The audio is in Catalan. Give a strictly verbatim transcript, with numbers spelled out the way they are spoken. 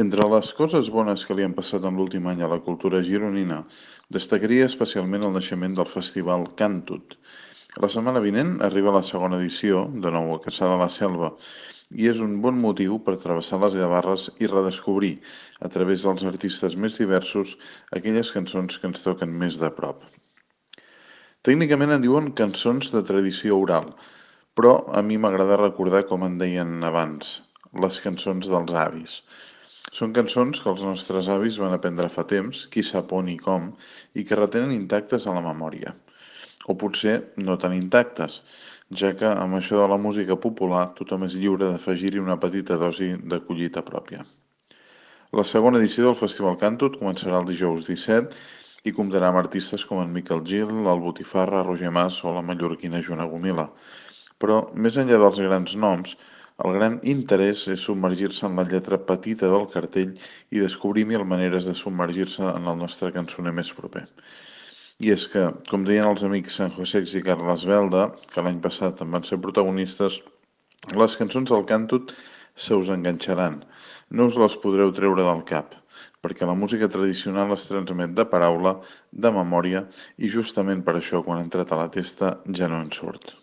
Entre les coses bones que li han passat en l'últim any a la cultura gironina, destacaria especialment el naixement del festival Cantut. La setmana vinent arriba la segona edició, de nou a Caçà de la Selva, i és un bon motiu per travessar les Gavarres i redescobrir, a través dels artistes més diversos, aquelles cançons que ens toquen més de prop. Tècnicament en diuen cançons de tradició oral, però a mi m'agrada recordar com en deien abans, les cançons dels avis. Són cançons que els nostres avis van aprendre fa temps, qui sap on i com, i que retenen intactes a la memòria. O potser no tan intactes, ja que amb això de la música popular tothom és lliure d'afegir-hi una petita dosi de collita pròpia. La segona edició del Festival Cantut començarà el dijous disset i comptarà amb artistes com en Miquel Gil, el Botifarra, Roger Mas o la mallorquina Joana Gomila. Però, més enllà dels grans noms, el gran interès és submergir-se en la lletra petita del cartell i descobrir mil maneres de submergir-se en el nostre cançoner més proper. I és que, com deien els amics San Josex i Carles Belda, que l'any passat en van ser protagonistes, les cançons del Cantut se us enganxaran. No us les podreu treure del cap, perquè la música tradicional es transmet de paraula, de memòria, i justament per això, quan ha entrat a la testa, ja no en surt.